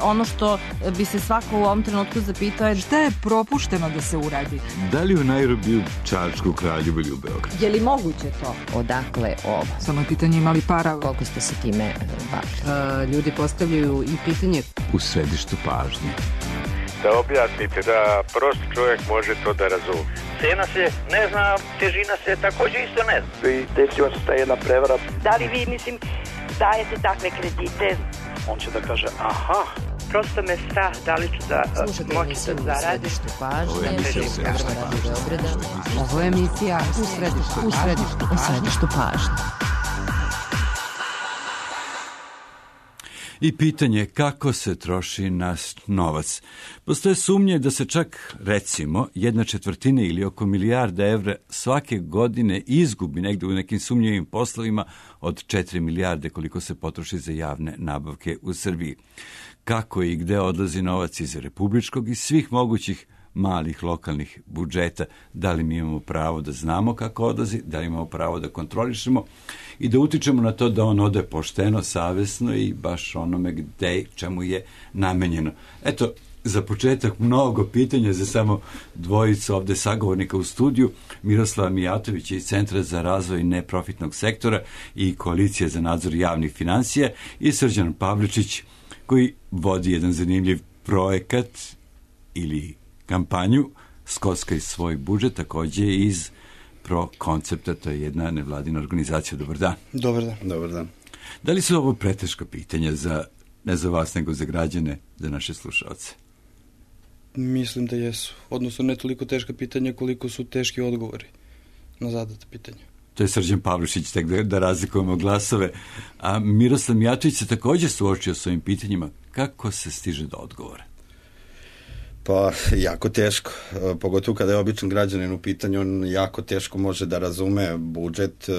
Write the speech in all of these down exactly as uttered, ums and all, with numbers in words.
ono što bi se svako u ovom trenutku zapitao je šta je propušteno da se uradi? Da li u Nairobiju, Čačku, Kraljevu ili u Beogradu? Je li moguće to? Odakle ovo? Samo je pitanje imali para. Koliko ste se time bavili? Ljudi postavljaju i pitanje u središtu pažnje. Da objasnite, da prost čovjek može to da razumije. Cena se ne zna, težina se također isto ne zna. I desila se ta jedna prevara. Da li vi, mislim, dajete takve kredite? On će da kaže, aha. Prosto me strah da li ću da moći da zaradim. Ovo je emisija u središtu pažnje. Ovo je emisija u središtu u središtu, u središtu pažnje. I pitanje kako se troši naš novac. Postoje sumnje da se čak, recimo, jedna četvrtina ili oko milijarda evra svake godine izgubi negde u nekim sumnjivim poslovima od četiri milijarde koliko se potroši za javne nabavke u Srbiji. Kako i gde odlazi novac iz republičkog i svih mogućih malih lokalnih budžeta, da li mi imamo pravo da znamo kako odlazi, da li imamo pravo da kontrolišemo i da utičemo na to da on ode pošteno, savesno i baš onome gde, čemu je namenjeno. Eto, za početak mnogo pitanja za samo dvojicu ovde sagovornika u studiju, Miroslava Mijatović iz Centra za razvoj neprofitnog sektora i Koalicije za nadzor javnih finansija i Srđan Pavličić koji vodi jedan zanimljiv projekat ili kampanju Skockaj svoj budžet, takođe iz Pro koncepta, to je jedna nevladina organizacija. Dobar dan. Dobar dan. Dobar dan. Da li su ovo preteška pitanja za, ne za vas, nego za građane, za naše slušalce? Mislim da jesu. Odnosno ne toliko teška pitanja koliko su teški odgovori na zadata pitanja. To je Srđan Pavličić, tek da, da razlikujemo glasove. A Miroslav Mijatović se također suočio s ovim pitanjima. Kako se stiže do odgovora? Pa, jako teško. Pogotovo kada je običan građanin u pitanju, on jako teško može da razume budžet,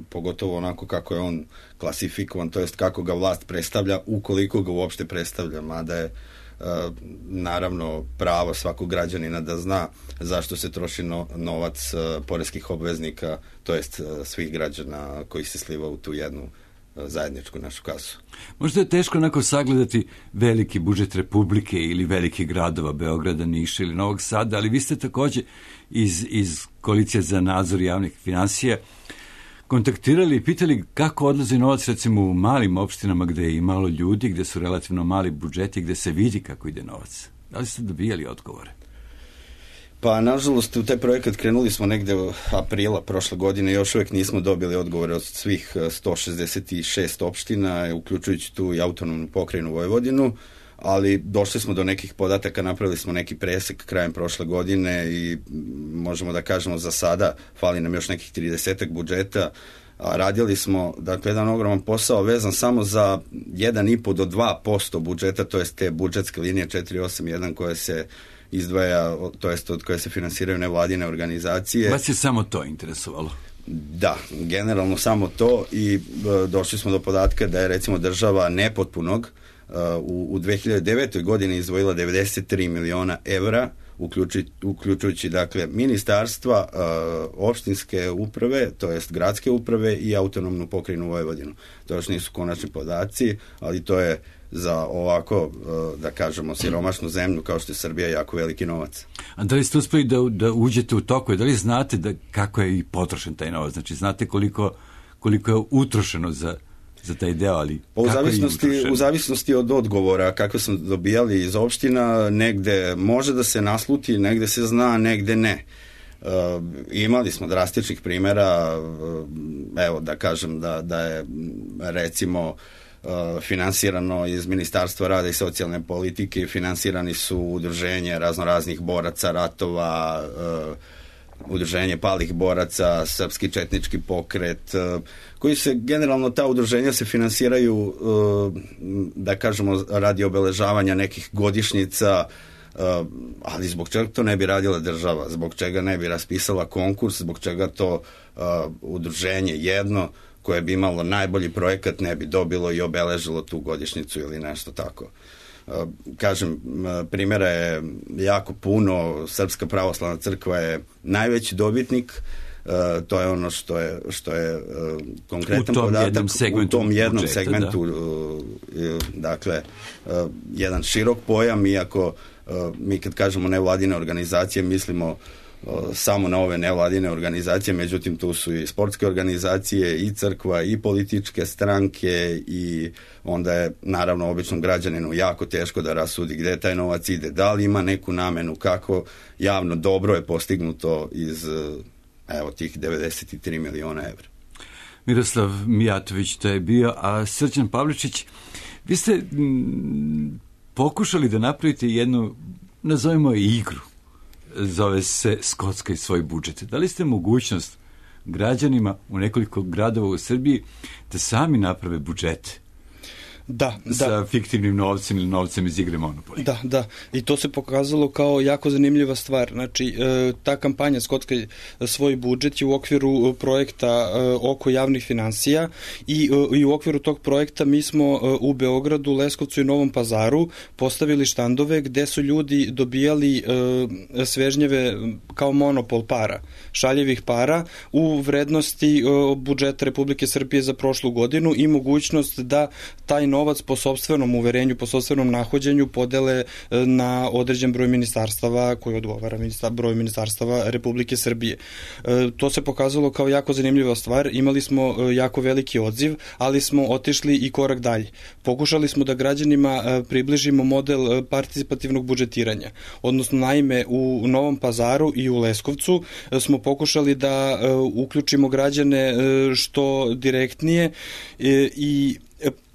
pogotovo onako kako je on klasifikovan, to jest kako ga vlast predstavlja, ukoliko ga uopšte predstavlja, mada je naravno pravo svakog građanina da zna zašto se troši no, novac poreskih obveznika, to jest svih građana koji se sliva u tu jednu zajedničku našu kasu. Možda je teško onako sagledati veliki budžet Republike ili veliki gradova, Beograda, Niša ili Novog Sada, ali vi ste također iz, iz Koalicije za nadzor javnih finansija kontaktirali i pitali kako odlazi novac recimo u malim opštinama gde je i malo ljudi, gde su relativno mali budžeti, gde se vidi kako ide novac. Da li ste dobijali odgovore? Pa, nažalost, u taj projekat krenuli smo negde u aprila prošle godine, još uvijek nismo dobili odgovore od svih sto šezdeset šest opština, uključujući tu i autonomnu pokrajinu Vojvodinu, ali došli smo do nekih podataka, napravili smo neki presek krajem prošle godine i možemo da kažemo za sada fali nam još nekih tridesetak budžeta, a radili smo, dakle, jedan ogroman posao vezan samo za jedan i po do dva posto budžeta, to jest te budžetske linije četiri osam jedan koje se izdvaja, to jest od koje se finansiraju nevladine organizacije. Vas je samo to interesovalo? Da, generalno samo to i e, došli smo do podatka da je recimo država nepotpunog e, u, u dve hiljade devetoj godini izdvojila devedeset tri miliona evra, uključujući, uključujući dakle ministarstva, e, opštinske uprave, to jest gradske uprave i autonomnu pokrajinu Vojvodinu. To još nisu konačni podaci, ali to je za ovako, da kažemo, siromašnu zemlju kao što je Srbija jako veliki novac. A da li ste uspeli da, da uđete u toku? Da li znate da, kako je i potrošen taj novac? Znači, znate koliko, koliko je utrošeno za, za taj deo, ali pa u kako zavisnosti, je utrošeno? U zavisnosti od odgovora, kako smo dobijali iz opština, negde može da se nasluti, negde se zna, negde ne. Uh, imali smo drastičnih primjera, uh, evo da kažem da, da je recimo Uh, finansirano iz Ministarstva rada i socijalne politike, finansirani su udruženje raznoraznih boraca ratova, uh, udruženje palih boraca, Srpski četnički pokret, uh, koji se, generalno ta udruženja se finansiraju, uh, da kažemo, radi obeležavanja nekih godišnjica, uh, ali zbog čega to ne bi radila država, zbog čega ne bi raspisala konkurs, zbog čega to uh, udruženje jedno koje bi imalo najbolji projekat ne bi dobilo i obeležilo tu godišnjicu ili nešto tako. Kažem, primjera je jako puno, Srpska pravoslavna crkva je najveći dobitnik, to je ono što je, što je konkretan u tom podatak jednom segmentu u tom jednom budžeta, segmentu dakle, jedan širok pojam, iako mi kad kažemo nevladine organizacije mislimo samo na ove nevladine organizacije, međutim tu su i sportske organizacije, i crkva, i političke stranke, i onda je naravno običnom građaninu jako teško da rasudi gde taj novac ide, da li ima neku namenu, kako javno dobro je postignuto iz evo tih devedeset tri miliona evra. Miroslav Mijatović to je bio, a Srđan Pavličić, vi ste m, pokušali da napravite jednu, nazovimo je igru, zove se Skotska i svoj budžet. Dali ste mogućnost građanima u nekoliko gradova u Srbiji da sami naprave budžete? Da, sa da. fiktivnim novcem ili novcem iz igre Monopoly. Da, da. I to se pokazalo kao jako zanimljiva stvar. Znači, ta kampanja Skotska svoj budžet je u okviru projekta oko javnih finansija i, i u okviru tog projekta mi smo u Beogradu, Leskovcu i Novom Pazaru postavili štandove gde su ljudi dobijali svežnjeve kao monopol para, šaljevih para u vrednosti budžeta Republike Srbije za prošlu godinu i mogućnost da taj novac po sopstvenom uverenju, po sopstvenom nahođenju podele na određen broj ministarstava koji odgovara ministar, broj ministarstava Republike Srbije. E, to se pokazalo kao jako zanimljiva stvar. Imali smo jako veliki odziv, ali smo otišli i korak dalje. Pokušali smo da građanima približimo model participativnog budžetiranja. Odnosno, naime, u Novom Pazaru i u Leskovcu smo pokušali da uključimo građane što direktnije i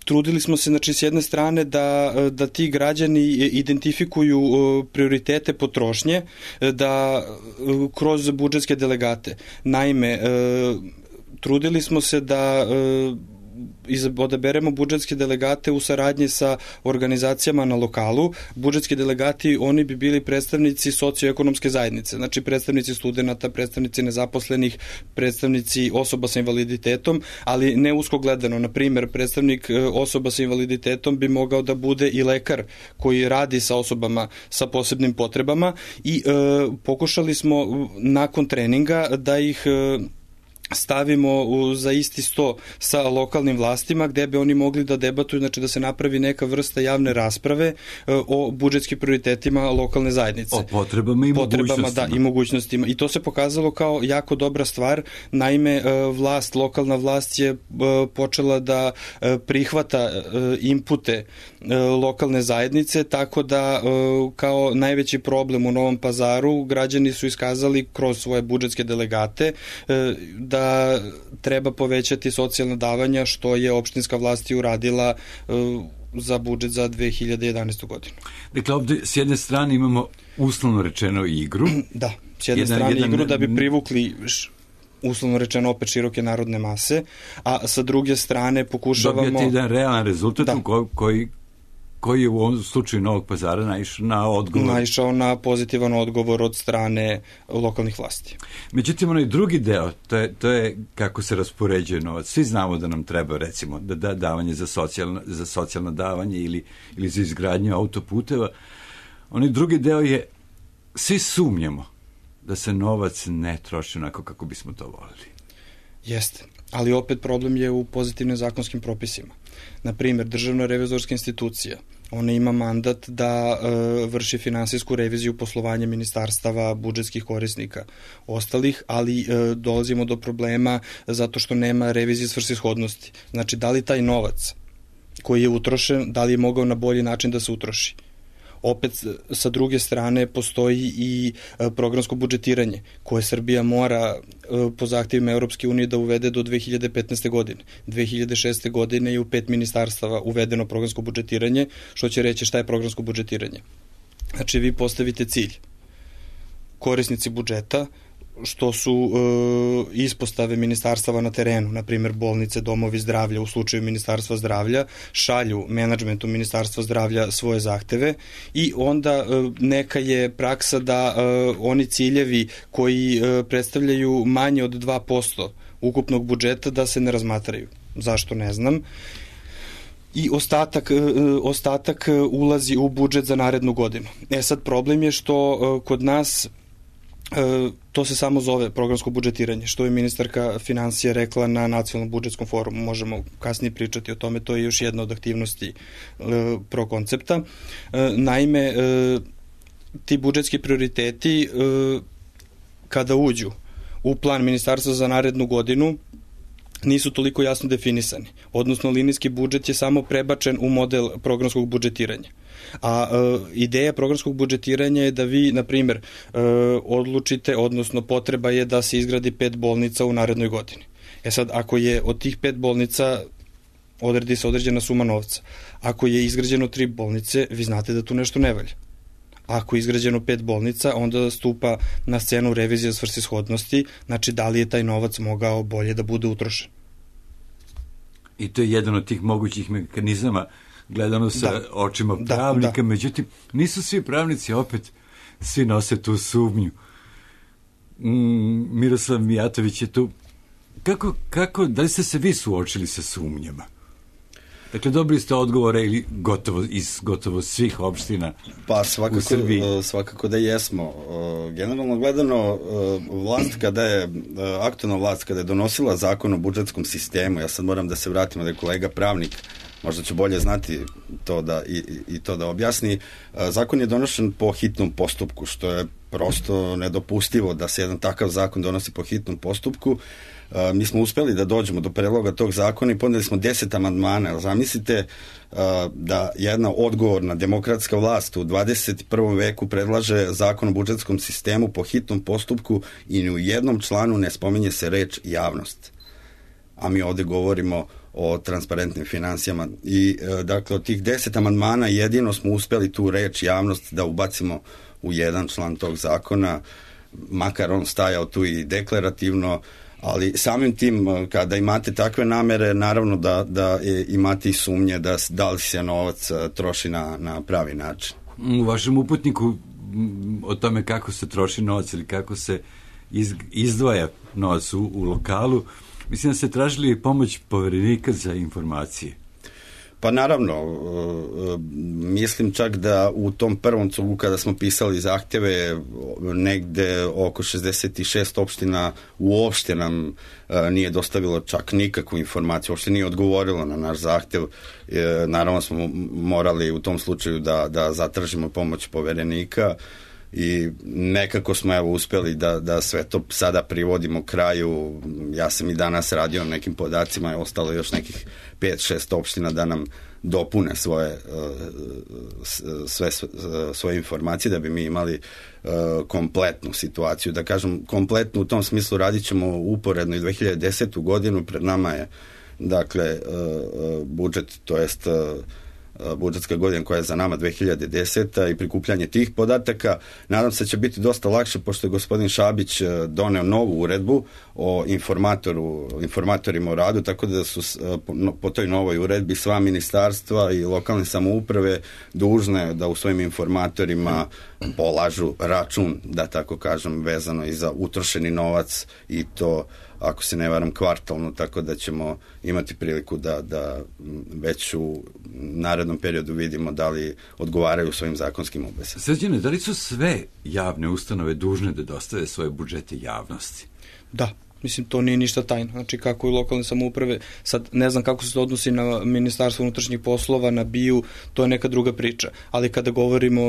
trudili smo se, znači, s jedne strane da, da ti građani identifikuju prioritete potrošnje, da kroz budžetske delegate. Naime, trudili smo se da odaberemo budžetske delegate u saradnji sa organizacijama na lokalu. Budžetski delegati, oni bi bili predstavnici socioekonomske zajednice, znači predstavnici studenata, predstavnici nezaposlenih, predstavnici osoba sa invaliditetom, ali ne usko gledano. Na primer, predstavnik osoba sa invaliditetom bi mogao da bude i lekar koji radi sa osobama sa posebnim potrebama i e, pokušali smo nakon treninga da ih e, stavimo u, za isti sto sa lokalnim vlastima gde bi oni mogli da debatuju, znači da se napravi neka vrsta javne rasprave uh, o budžetskim prioritetima lokalne zajednice. O potrebama i potrebama, mogućnostima. Da, i mogućnostima. I to se pokazalo kao jako dobra stvar. Naime, uh, vlast, lokalna vlast je uh, počela da uh, prihvata uh, inpute uh, lokalne zajednice, tako da uh, kao najveći problem u Novom Pazaru građani su iskazali kroz svoje budžetske delegate uh, da da treba povećati socijalna davanja, što je opštinska vlast i uradila uh, za budžet za dve hiljade jedanaestu godinu. Dakle, ovde s jedne strane imamo uslovno rečeno igru. Da, s jedne jedan, strane jedan, igru da bi privukli uslovno rečeno opet široke narodne mase, a sa druge strane pokušavamo... Dobijate jedan realan rezultat da. koji koji je u ovom slučaju Novog Pazara naišao na odgovor. Naišao na pozitivan odgovor od strane lokalnih vlasti. Međutim, onaj drugi deo, to je, to je kako se raspoređuje novac. Svi znamo da nam treba, recimo, da, da davanje za socijalno, za socijalno davanje ili, ili za izgradnju autoputeva. Onaj drugi deo je, svi sumnjamo da se novac ne troši onako kako bismo to volili. Jeste, ali opet problem je u pozitivnim zakonskim propisima. Na primjer, Državna revizorska institucija, ona ima mandat da e, vrši finansijsku reviziju poslovanja ministarstava, budžetskih korisnika, ostalih, ali e, dolazimo do problema zato što nema revizije svrsishodnosti. Znači, da li taj novac koji je utrošen, da li je mogao na bolji način da se utroši? Opet, sa druge strane, postoji i programsko budžetiranje koje Srbija mora po zahtjevima Europske unije da uvede do dve hiljade petnaeste. godine. dve hiljade šeste. godine je u pet ministarstava uvedeno programsko budžetiranje, što će reći šta je programsko budžetiranje. Znači, vi postavite cilj. Korisnici budžeta, što su e, ispostave ministarstava na terenu, na primjer bolnice, domovi zdravlja, u slučaju Ministarstva zdravlja, šalju menadžmentu Ministarstva zdravlja svoje zahteve i onda e, neka je praksa da e, oni ciljevi koji e, predstavljaju manje od dva posto ukupnog budžeta da se ne razmatraju. Zašto, ne znam. I ostatak, ostatak ulazi u budžet za narednu godinu. E sad, problem je što kod nas E, to se samo zove programsko budžetiranje, što je ministarka financija rekla na nacionalnom budžetskom forumu. Možemo kasnije pričati o tome, to je još jedna od aktivnosti e, prokoncepta. E, naime, e, ti budžetski prioriteti e, kada uđu u plan ministarstva za narednu godinu nisu toliko jasno definisani. Odnosno, linijski budžet je samo prebačen u model programskog budžetiranja. A e, ideja programskog budžetiranja je da vi, na primjer, e, odlučite, odnosno potreba je da se izgradi pet bolnica u narednoj godini. E sad, ako je od tih pet bolnica odredi se određena suma novca, ako je izgrađeno tri bolnice, vi znate da tu nešto ne valja. Ako je izgrađeno pet bolnica, onda stupa na scenu revizija svrsishodnosti, znači da li je taj novac mogao bolje da bude utrošen. I to je jedan od tih mogućih mehanizama gledano sa da. očima pravnika, da, da. Međutim, nisu svi pravnici, opet svi nose tu sumnju. Mm, Miroslav Mijatović je tu. Kako, kako, da li ste se vi suočili sa sumnjama? Dakle, dobili ste odgovore ili gotovo iz gotovo svih opština pa, svakako, u Srbiji? Svakako da jesmo. Generalno gledano, vlast kada je, aktualna vlast kada je donosila zakon o budžetskom sistemu, ja sad moram da se vratim da je kolega pravnik, možda će bolje znati to da, i, i to da objasni. Zakon je donošen po hitnom postupku, što je prosto nedopustivo da se jedan takav zakon donosi po hitnom postupku. Mi smo uspeli da dođemo do predloga tog zakona i podneli smo deset amandmana. Zamislite da jedna odgovorna demokratska vlast u dvadeset prvom veku predlaže zakon o budžetskom sistemu po hitnom postupku i ni u jednom članu ne spominje se reč javnost. A mi ovde govorimo o transparentnim finansijama. I dakle, od tih deset amandmana jedino smo uspeli tu reč javnost da ubacimo u jedan član tog zakona, makar on stajao tu i deklarativno, ali samim tim, kada imate takve namere, naravno da, da imate i sumnje da, da li se novac troši na, na pravi način. U vašem uputniku o tome kako se troši novac ili kako se iz, izdvaja novac u, u lokalu, mislim da ste tražili pomoć poverenika za informacije. Pa naravno, mislim čak da u tom prvom cugu kada smo pisali zahteve, negde oko šezdeset šest opština uopšte nam nije dostavilo čak nikakvu informaciju, uopšte nije odgovorilo na naš zahtev. Naravno smo morali u tom slučaju da, da zatražimo pomoć poverenika i nekako smo evo uspeli da, da sve to sada privodimo kraju. Ja sam i danas radio na nekim podacima, je ostalo još nekih pet šest opština da nam dopune svoje sve, svoje informacije da bi mi imali kompletnu situaciju. Da kažem, kompletnu u tom smislu radit ćemo uporedno i dve hiljade desetu godinu, pred nama je dakle budžet, to jest budžetska godina koja je za nama dve hiljade deseta i prikupljanje tih podataka. Nadam se da će biti dosta lakše, pošto je gospodin Šabić doneo novu uredbu o informatoru, informatorima o radu, tako da su po toj novoj uredbi sva ministarstva i lokalne samouprave dužne da u svojim informatorima polažu račun, da tako kažem, vezano i za utrošeni novac, i to, ako se ne varam, kvartalno, tako da ćemo imati priliku da, da već u narednom periodu vidimo da li odgovaraju svojim zakonskim obvezama. Srđane, da li su sve javne ustanove dužne da dostave svoje budžete javnosti? Da. Mislim, to nije ništa tajno. Znači, kako i lokalne samouprave, sad ne znam kako se to odnosi na Ministarstvo unutrašnjih poslova, na B I U, to je neka druga priča. Ali kada govorimo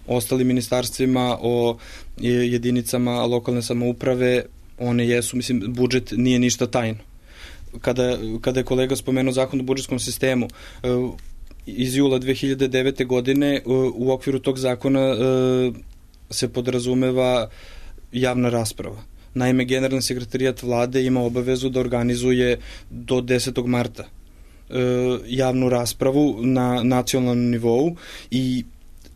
o ostalim ministarstvima, o jedinicama lokalne samouprave, one jesu, mislim, budžet nije ništa tajno. Kada, kada je kolega spomenuo zakon o budžetskom sistemu, iz jula dve hiljade devete godine u okviru tog zakona se podrazumeva javna rasprava. Naime, generalni sekretarijat vlade ima obavezu da organizuje do desetog marta javnu raspravu na nacionalnom nivou i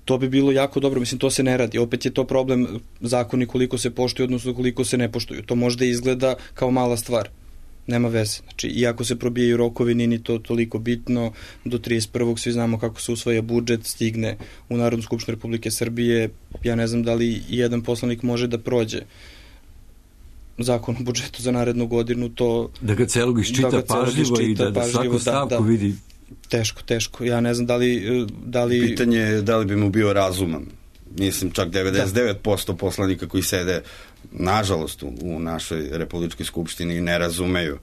to bi bilo jako dobro, mislim, to se ne radi. Opet je to problem zakoni koliko se poštuju, odnosno koliko se ne poštuju. To možda izgleda kao mala stvar. Nema veze. Znači, iako se probijaju rokovi, nije to toliko bitno. Do trideset prvog svi znamo kako se usvaja budžet, stigne u Narodnu skupštinu Republike Srbije. Ja ne znam da li jedan poslanik može da prođe zakon o budžetu za narednu godinu. To, da ga celog iščita da pažljivo i da, da svaku stavku da, da. vidi. Teško, teško. Ja ne znam da li... Da li... Pitanje je da li bi mu bio razuman. mislim čak devedeset devet posto poslanika koji sede nažalost u, u našoj Republičkoj skupštini ne razumeju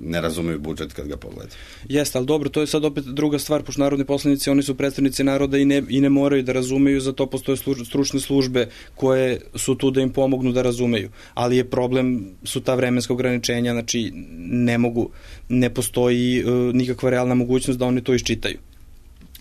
ne razumeju budžet kad ga pogledaju. Jeste, ali dobro, to je sad opet druga stvar, pošto narodni poslanici, oni su predstavnici naroda i ne, i ne moraju da razumeju, za to postoje služ, stručne službe koje su tu da im pomognu da razumeju, ali je problem, su ta vremenska ograničenja, znači ne mogu, ne postoji uh, nikakva realna mogućnost da oni to iščitaju.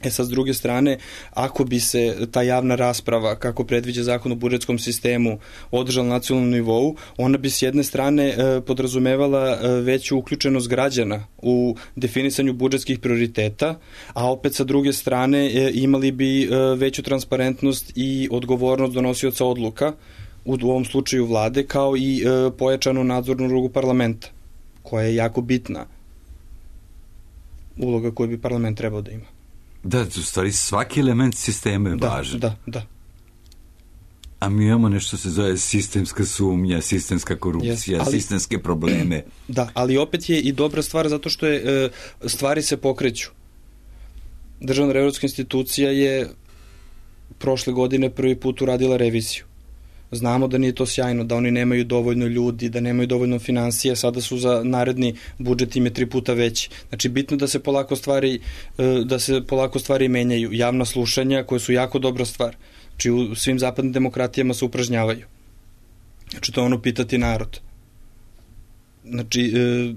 E sad, s druge strane, ako bi se ta javna rasprava, kako predviđa zakon o budžetskom sistemu, održala na nacionalnom nivou, ona bi s jedne strane e, podrazumevala e, veću uključenost građana u definisanju budžetskih prioriteta, a opet sa druge strane e, imali bi e, veću transparentnost i odgovornost donosioca odluka, u, u ovom slučaju vlade, kao i e, pojačanu nadzornu ulogu parlamenta, koja je jako bitna uloga koju bi parlament trebao da ima. Da, u stvari svaki element sistema je da, važan. Da, da. A mi imamo nešto se zove sistemska sumnja, sistemska korupcija, yes, ali, sistemske probleme. Da, ali opet je i dobra stvar zato što je, e, stvari se pokreću. Državna revizorska institucija je prošle godine prvi put uradila reviziju. Znamo da nije to sjajno, da oni nemaju dovoljno ljudi, da nemaju dovoljno finansija, sada su za naredni budžet im je tri puta veći. Znači, bitno da se polako stvari, da se polako stvari menjaju. Javna slušanja koje su jako dobra stvar. Znači, u svim zapadnim demokratijama se upražnjavaju. Znači, to je ono pitati narod. Znači, e,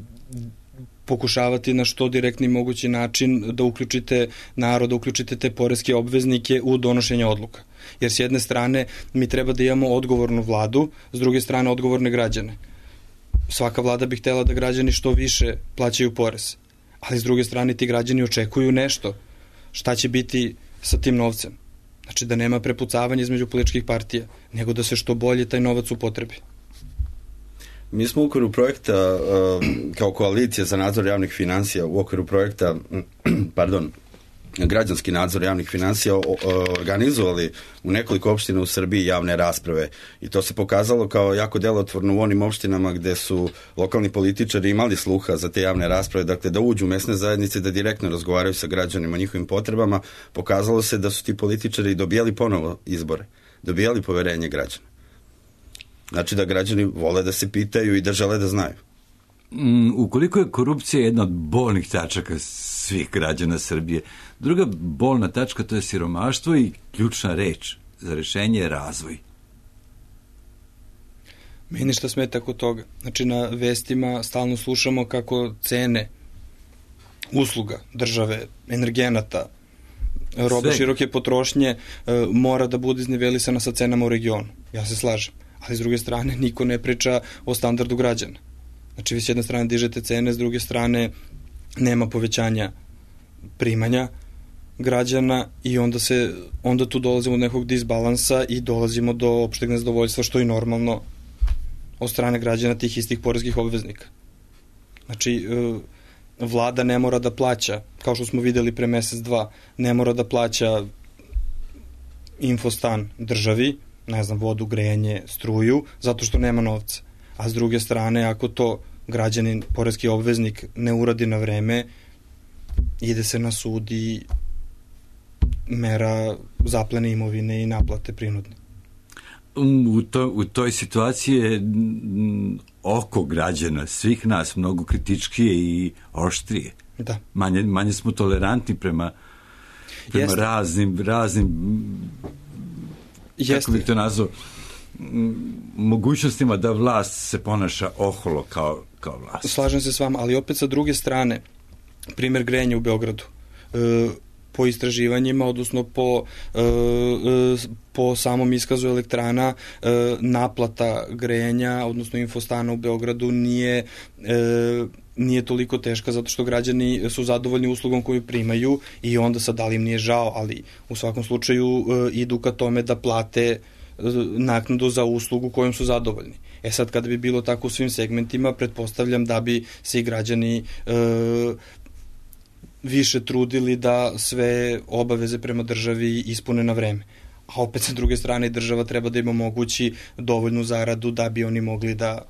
pokušavati na što direktni mogući način da uključite narod, da uključite te poreske obveznike u donošenje odluka. Jer s jedne strane mi treba da imamo odgovornu vladu, s druge strane odgovorne građane. Svaka vlada bi htela da građani što više plaćaju porez, ali s druge strane ti građani očekuju nešto. Šta će biti sa tim novcem? Znači da nema prepucavanja između političkih partija, nego da se što bolje taj novac upotrebi. Mi smo u okviru projekta, kao koalicija za nadzor javnih finansija, u okviru projekta, pardon, građanski nadzor javnih finansija organizovali u nekoliko opština u Srbiji javne rasprave i to se pokazalo kao jako delotvorno u onim opštinama gde su lokalni političari imali sluha za te javne rasprave, dakle da uđu u mesne zajednice, da direktno razgovaraju sa građanima o njihovim potrebama. Pokazalo se da su ti političari dobijali ponovo izbore, dobijali poverenje građana. Znači da građani vole da se pitaju i da žele da znaju. Mm, ukoliko je korupcija jedna od bolnih tačaka svih građana Srbije, druga bolna tačka to je siromaštvo i ključna reč za rešenje je razvoj. Meni šta smeta kod toga? Znači na vestima stalno slušamo kako cene usluga države, energenata, roba široke potrošnje e, mora da bude iznivelisana sa cenama u regionu. Ja se slažem. Ali s druge strane niko ne priča o standardu građana. Znači vi s jedne strane dižete cene, s druge strane nema povećanja primanja građana i onda se onda tu dolazimo do nekog disbalansa i dolazimo do opšteg nezadovoljstva, što je normalno od strane građana tih istih poreskih obveznika. Znači vlada ne mora da plaća, kao što smo videli pre mesec dva, ne mora da plaća infostan državi, ne znam, vodu, grejanje, struju, zato što nema novca. A s druge strane, ako to građanin, poreski obveznik ne uradi na vreme, ide se na sud i mera zaplene imovine i naplate prinudne. U, to, u toj situaciji je oko građana, svih nas, mnogo kritičkije i oštrije. Da. Manje, manje smo tolerantni prema, prema Jeste. raznim, raznim Jeste. kako bih to nazvao, mogućnostima da vlast se ponaša oholo kao, kao vlast. Slažem se s vama, ali opet sa druge strane, primjer grejanja u Beogradu. E, po istraživanjima, odnosno po, e, po samom iskazu elektrana, e, naplata grejanja, odnosno infostana u Beogradu nije, e, nije toliko teška zato što građani su zadovoljni uslugom koju primaju i onda sad da li im nije žao, ali u svakom slučaju e, idu ka tome da plate naknadu za uslugu kojom su zadovoljni. E sad, kada bi bilo tako u svim segmentima, pretpostavljam da bi se i građani e, više trudili da sve obaveze prema državi ispune na vreme. A opet sa druge strane država treba da im omogući dovoljnu zaradu da bi oni mogli da,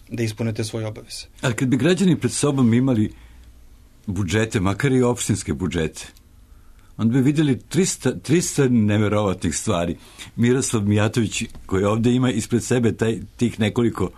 da ispune te svoje obaveze. Ali kad bi građani pred sobom imali budžete, makar i opštinske budžete, onda bi vidjeli tristo, tristo neverovatnih stvari. Miroslav Mijatović, koji ovdje ima ispred sebe taj, tih nekoliko,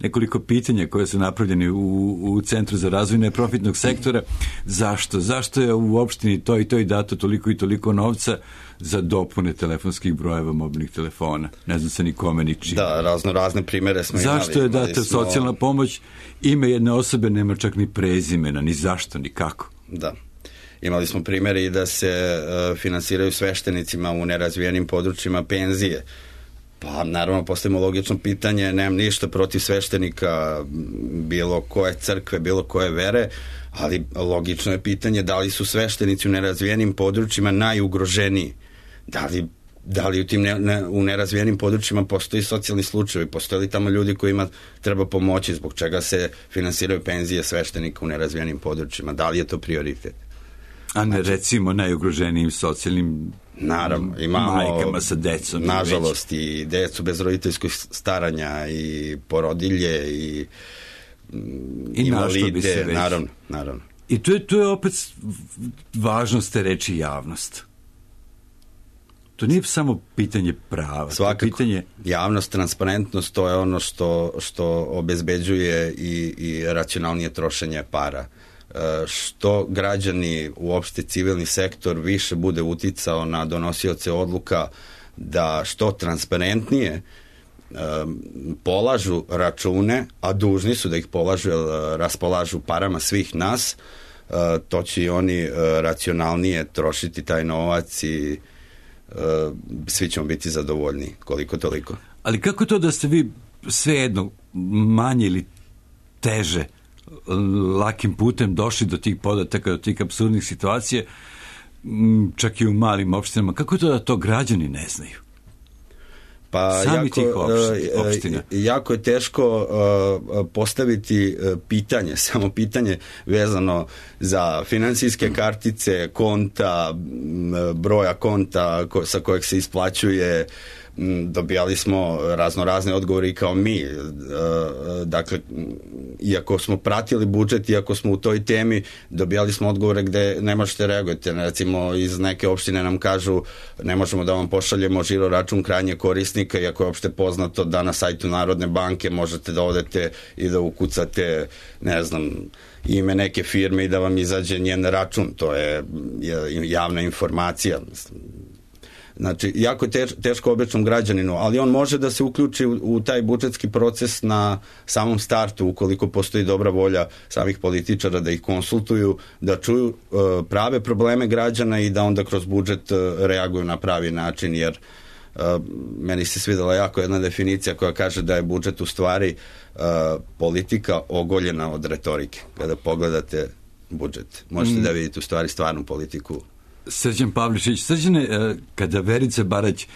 nekoliko pitanja koje su napravljeni u, u Centru za razvoj neprofitnog sektora, zašto? Zašto je u opštini to i to i dato toliko i toliko novca za dopune telefonskih brojeva mobilnih telefona? Ne znam se nikome ni čini. Da, razno razne primere smo imali. Zašto je data smo... socijalna pomoć? Ime jedne osobe nema čak ni prezimena, ni zašto, ni kako. Da. Imali smo primjere i da se uh, finansiraju sveštenicima u nerazvijenim područjima penzije. Pa naravno postavimo logično pitanje, nemam ništa protiv sveštenika bilo koje crkve, bilo koje vere, ali logično je pitanje da li su sveštenici u nerazvijenim područjima najugroženiji. Da li, da li u tim ne, ne, u nerazvijenim područjima postoji socijalni slučajevi, postoje li tamo ljudi kojima treba pomoći, zbog čega se finansiraju penzije sveštenika u nerazvijenim područjima, da li je to prioritet? A ne recimo najugroženijim socijalnim naravno, imamo majkama sa decom. Nažalost i decu bez roditeljskog staranja i porodilje i, I invalide, naravno, naravno. I to je, to je opet važnost te reči javnost. To nije samo pitanje prava. Svakako, pitanje... javnost, transparentnost, to je ono što, što obezbeđuje i, i racionalnije trošenje para. Što građani, uopšte civilni sektor, više bude uticao na donosioce odluka da što transparentnije polažu račune, a dužni su da ih polažu jer raspolažu parama svih nas, to će i oni racionalnije trošiti taj novac i svi ćemo biti zadovoljni koliko toliko. Ali kako to da ste vi svejedno manje ili teže lakim putem došli do tih podataka, do tih apsurdnih situacija, čak i u malim opštinama, kako to da to građani ne znaju? Pa Sami jako, tih opština. Jako je teško postaviti pitanje, samo pitanje vezano za finansijske kartice, konta, broja konta sa kojeg se isplaćuje. Dobijali smo razno razne odgovore i kao mi, dakle iako smo pratili budžet, iako smo u toj temi, dobijali smo odgovore gde ne možete reagujete, recimo iz neke opštine nam kažu ne možemo da vam pošaljemo žiro račun krajnje korisnika, iako je opšte poznato da na sajtu Narodne banke možete da odete i da ukucate, ne znam, ime neke firme i da vam izađe njen račun, to je javna informacija. Znači, jako je teško običnom građaninu, ali on može da se uključi u, u taj budžetski proces na samom startu, ukoliko postoji dobra volja samih političara da ih konsultuju, da čuju uh, prave probleme građana i da onda kroz budžet uh, reaguju na pravi način, jer uh, meni se svidela jako jedna definicija koja kaže da je budžet u stvari uh, politika ogoljena od retorike. Kada pogledate budžet, možete mm. da vidite u stvari stvarnu politiku. Srđan Pavlišić, Srđane, kada Verica Barać,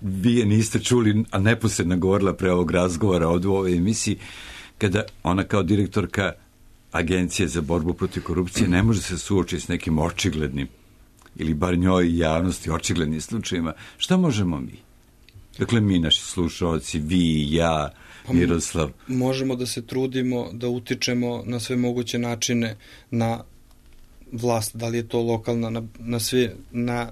vi je niste čuli, a neposredno govorila pre ovog razgovora ovdje u ovoj emisiji, kada ona kao direktorka Agencije za borbu protiv korupcije ne može se suočiti s nekim očiglednim, ili bar njoj javnosti očiglednim slučajima, šta možemo mi? Dakle, mi, naši slušalci, vi, ja, Miroslav. Pa možemo da se trudimo, da utičemo na sve moguće načine na vlast, da li je to lokalna, na, na, svi, na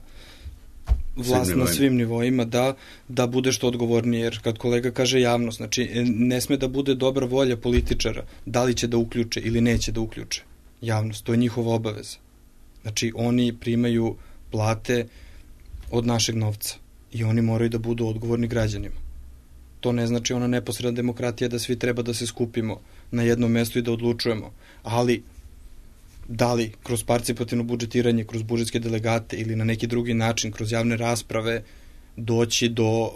vlast svim na svim nivoima, da, da bude što odgovornije, jer kad kolega kaže javnost, znači ne sme da bude dobra volja političara, da li će da uključe ili neće da uključe javnost, to je njihova obaveza. Znači oni primaju plate od našeg novca i oni moraju da budu odgovorni građanima. To ne znači ona neposredna demokratija da svi treba da se skupimo na jednom mestu i da odlučujemo, ali da li kroz participativno budžetiranje, kroz budžetske delegate ili na neki drugi način, kroz javne rasprave, doći do,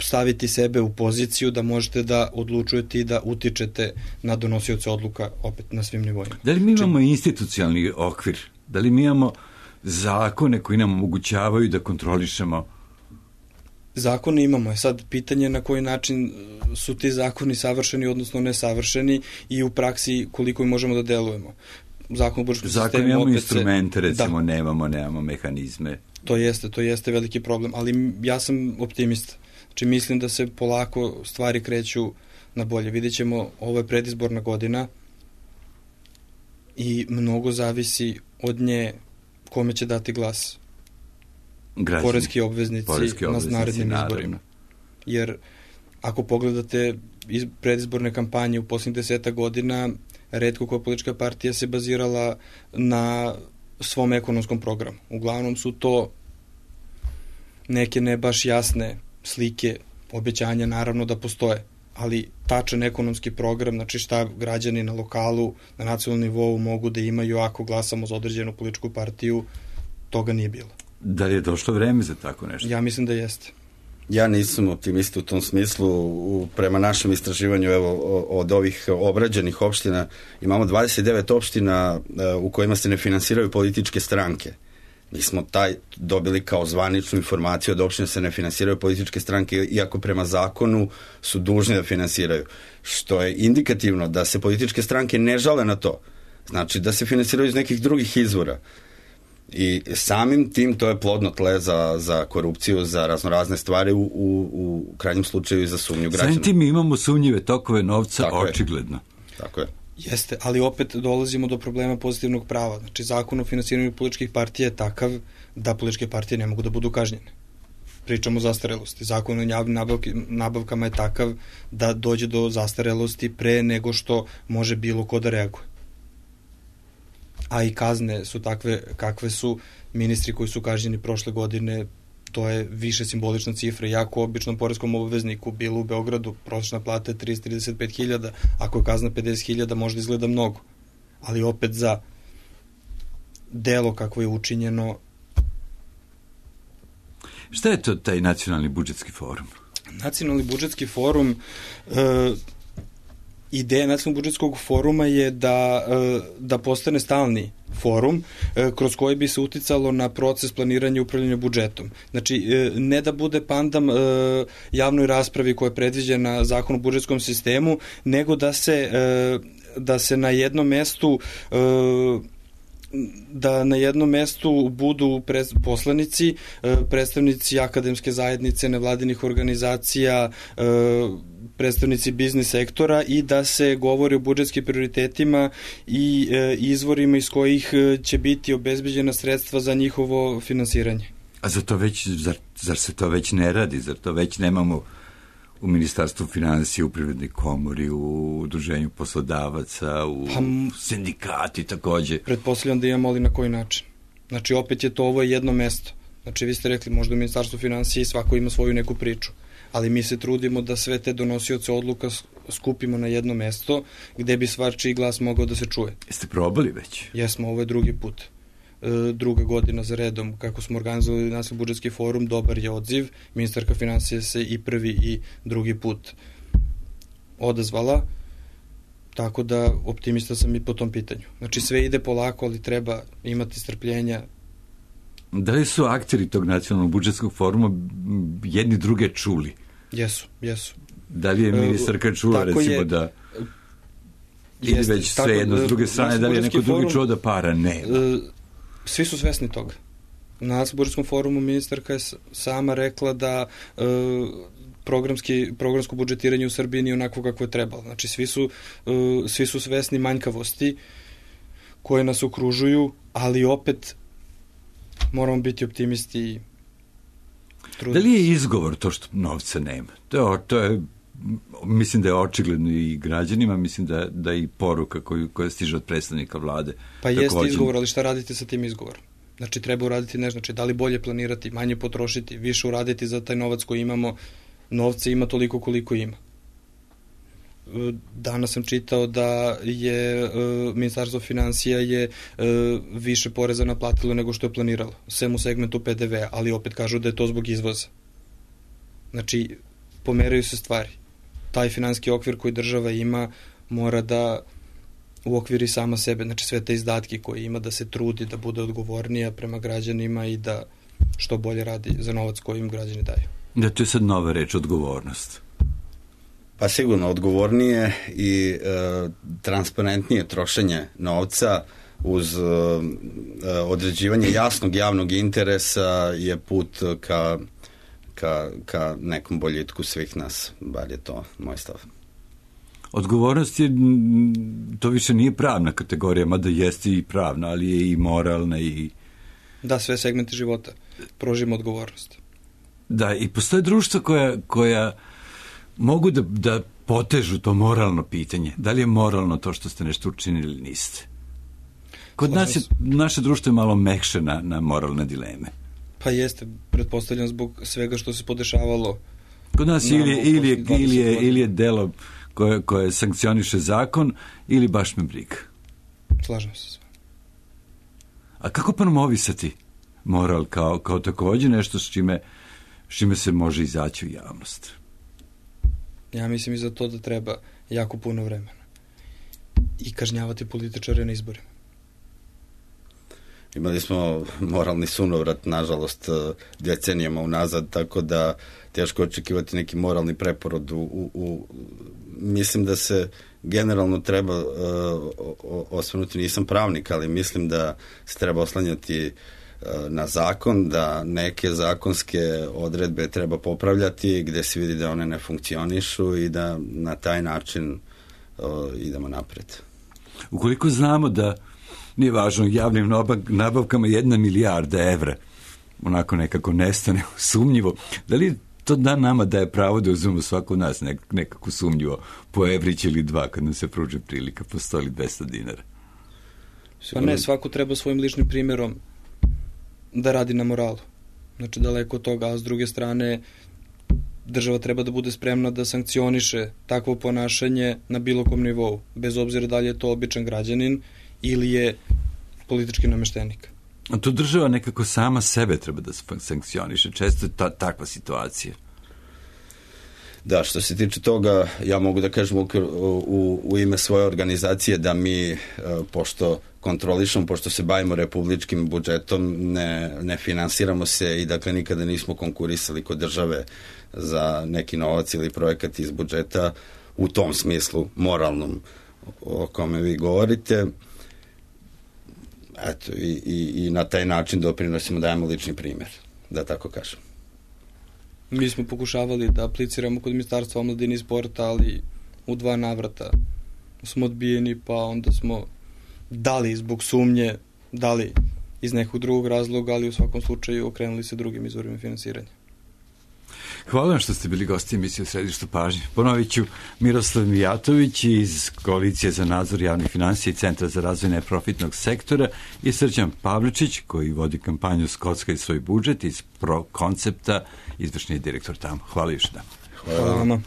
staviti sebe u poziciju da možete da odlučujete i da utičete na donosioce odluka opet na svim nivoima. Da li mi imamo institucionalni okvir? Da li mi imamo zakone koji nam omogućavaju da kontrolišemo? Zakone imamo. Je sad pitanje na koji način su ti zakoni savršeni, odnosno nesavršeni i u praksi koliko im možemo da delujemo. Zakon o budžetskom sistemu. Zakon imamo instrumente, recimo, da. nemamo, nemamo mehanizme. To jeste, to jeste veliki problem, ali ja sam optimista. Znači mislim da se polako stvari kreću na bolje. Vidjet ćemo, ovo je predizborna godina i mnogo zavisi od nje kome će dati glas? Građani, poreski obveznici, poreski obveznici na narednim naravno. izborima. Jer ako pogledate iz, predizborne kampanje u posljednjih deseta godina, retko koja politička partija se bazirala na svom ekonomskom programu. Uglavnom su to neke ne baš jasne slike, obećanja naravno da postoje, ali tačan ekonomski program, znači šta građani na lokalu, na nacionalnom nivou mogu da imaju ako glasamo za određenu političku partiju, toga nije bilo. Da li je došlo vreme za tako nešto? Ja mislim da jeste. Ja nisam optimista u tom smislu. U, prema našem istraživanju, evo, od ovih obrađenih opština, imamo dvadeset devet opština uh, u kojima se ne finansiraju političke stranke. Mi smo taj dobili kao zvaničnu informaciju od opština se ne finansiraju političke stranke, iako prema zakonu su dužni da finansiraju. Što je indikativno da se političke stranke ne žale na to. Znači da se finansiraju iz nekih drugih izvora. I samim tim to je plodno tle za, za korupciju, za raznorazne stvari, u, u, u krajnjem slučaju i za sumnju građana. Samim tim imamo sumnjive tokove novca, Tako očigledno. Je. Tako je. Jeste, ali opet dolazimo do problema pozitivnog prava. Znači, zakon o finansiranju političkih partija je takav da političke partije ne mogu da budu kažnjene. Pričamo o zastarelosti. Zakon o javnim nabavki, nabavkama je takav da dođe do zastarelosti pre nego što može bilo ko da reaguje. A i kazne su takve kakve su. Ministri koji su kažnjeni prošle godine, to je više simbolična cifra. Jako običnom poreskom obvezniku bilo u Beogradu prosječna plata je tristo trideset pet hiljada, ako je kazna pedeset hiljada možda izgleda mnogo, ali opet za delo kakvo je učinjeno. Šta je to taj nacionalni budžetski forum? Nacionalni budžetski forum, e, ideja nacionalnog budžetskog foruma je da, da postane stalni forum kroz koji bi se uticalo na proces planiranja i upravljanja budžetom. Znači, ne da bude pandam javnoj raspravi koja je predviđena Zakon o budžetskom sistemu, nego da se, da se na jednom mestu da na jednom mestu budu poslanici, predstavnici akademske zajednice, nevladinih organizacija, predstavnici biznis sektora i da se govori o budžetskim prioritetima i izvorima iz kojih će biti obezbeđena sredstva za njihovo finansiranje. A za to već, zar, zar se to već ne radi? Zar to već nemamo u Ministarstvu finansija, u Privrednoj komori, u Udruženju poslodavaca, u pa, sindikati takođe? Pretpostavljam da imamo, ali na koji način? Znači, opet je to ovo jedno mesto. Znači, vi ste rekli, možda u Ministarstvu finansija svako ima svoju neku priču, ali mi se trudimo da sve te donosioce odluka skupimo na jedno mesto gde bi svačiji glas mogao da se čuje. Jeste probali već? Jesmo, ovo je drugi put. E, druga godina za redom kako smo organizovali nacionalni budžetski forum, dobar je odziv. Ministarka finansija se i prvi i drugi put odazvala, tako da optimista sam i po tom pitanju. Znači sve ide polako, ali treba imati strpljenja. Da li su akteri tog nacionalnog budžetskog foruma jedni druge čuli? Jesu, jesu. Da li je ministarka čula, tako recimo, je, da ili već sve jedno s druge strane, da li je neko drugi forum, čuo da para nema? Svi su svesni toga. Na nacionalnom budžetskom forumu ministarka je sama rekla da e, programski, programsko budžetiranje u Srbiji nije onako kako je trebalo. Znači svi su, e, svi su svesni manjkavosti koje nas okružuju, ali opet moramo biti optimisti i truditi. Da li je izgovor to što novca nema? To je, to je mislim da je očigledno i građanima, mislim da, da i poruka koju, koja stiže od predstavnika vlade. Pa jeste izgovor, ali šta radite sa tim izgovorom? Znači treba uraditi nešto, znači da li bolje planirati, manje potrošiti, više uraditi za taj novac koji imamo, novca ima toliko koliko ima. Danas sam čitao da je uh, Ministarstvo finansija je uh, više poreza naplatilo nego što je planiralo, sem u segmentu P D V-a, ali opet kažu da je to zbog izvoza. Znači, pomeraju se stvari. Taj finansijski okvir koji država ima mora da uokviri sama sebe, znači sve te izdatke koje ima, da se trudi, da bude odgovornija prema građanima i da što bolje radi za novac koji im građani daju. Da, to je sad nova reč, odgovornost. Pa sigurno, odgovornije i e, transparentnije trošenje novca uz e, određivanje jasnog javnog interesa je put ka, ka, ka nekom boljitku svih nas, bar je to moj stav. Odgovornost je, to više nije pravna kategorija, mada jeste i pravna, ali je i moralna i Da, sve segmente života. Prožimo odgovornost. Da, i postoje društva koja, koja mogu da, da potežu to moralno pitanje. Da li je moralno to što ste nešto učinili ili niste? Kod nas je, naše društvo je malo mekše na, na moralne dileme. Pa jeste, pretpostavljam zbog svega što se podešavalo. Kod nas ili, ili, je, ili, je, ili je delo koje, koje sankcioniše zakon ili baš me briga. Slažem se sve. A kako promovisati moral kao, kao također nešto s čime, s čime se može izaći u javnost? Ja mislim i za to da treba jako puno vremena. I kažnjavati političare na izborima. Imali smo moralni sunovrat, nažalost, decenijama unazad, tako da teško očekivati neki moralni preporod. U, u, u, mislim da se generalno treba uh, osvrnuti, nisam pravnik, ali mislim da se treba oslanjati uh, na zakon, da neke zakonske odredbe treba popravljati gde se vidi da one ne funkcionišu i da na taj način uh, idemo napred. Ukoliko znamo da nije važno, javnim nabavkama jedna milijarda evra onako nekako nestane sumnjivo, da li to da nama daje pravo da uzmemo svako od nas nek, nekako sumnjivo po evrić ili dva kad nam se pruži prilika po sto ili dvesta dinara? Pa ne, svako treba svojim ličnim primjerom da radi na moralu. Znači daleko od toga, a s druge strane država treba da bude spremna da sankcioniše takvo ponašanje na bilo kom nivou, bez obzira da li je to običan građanin ili je politički nameštenik. A to država nekako sama sebe treba da sankcioniše. Često je ta, takva situacija. Da, što se tiče toga, ja mogu da kažem u, u, u ime svoje organizacije da mi, pošto kontrolišemo, pošto se bavimo republičkim budžetom, ne, ne finansiramo se i dakle nikada nismo konkurisali kod države za neki novac ili projekat iz budžeta u tom smislu moralnom o kome vi govorite. Eto, i, i, i na taj način doprinosimo, dajemo lični primjer, da tako kažem. Mi smo pokušavali da apliciramo kod Ministarstva omladine i sporta, ali u dva navrata smo odbijeni, pa onda smo dali zbog sumnje, dali iz nekog drugog razloga, ali u svakom slučaju okrenuli se drugim izvorima finansiranja. Hvala vam što ste bili gosti emisije u Središtu pažnje. Ponovit ću, Miroslav Mijatović iz Koalicije za nadzor javnih finansija i Centra za razvoj neprofitnog sektora i Srđan Pavličić, koji vodi kampanju Skocka i svoj budžet iz Pro koncepta, izvršni direktor tamo. Hvala još da. Hvala vam.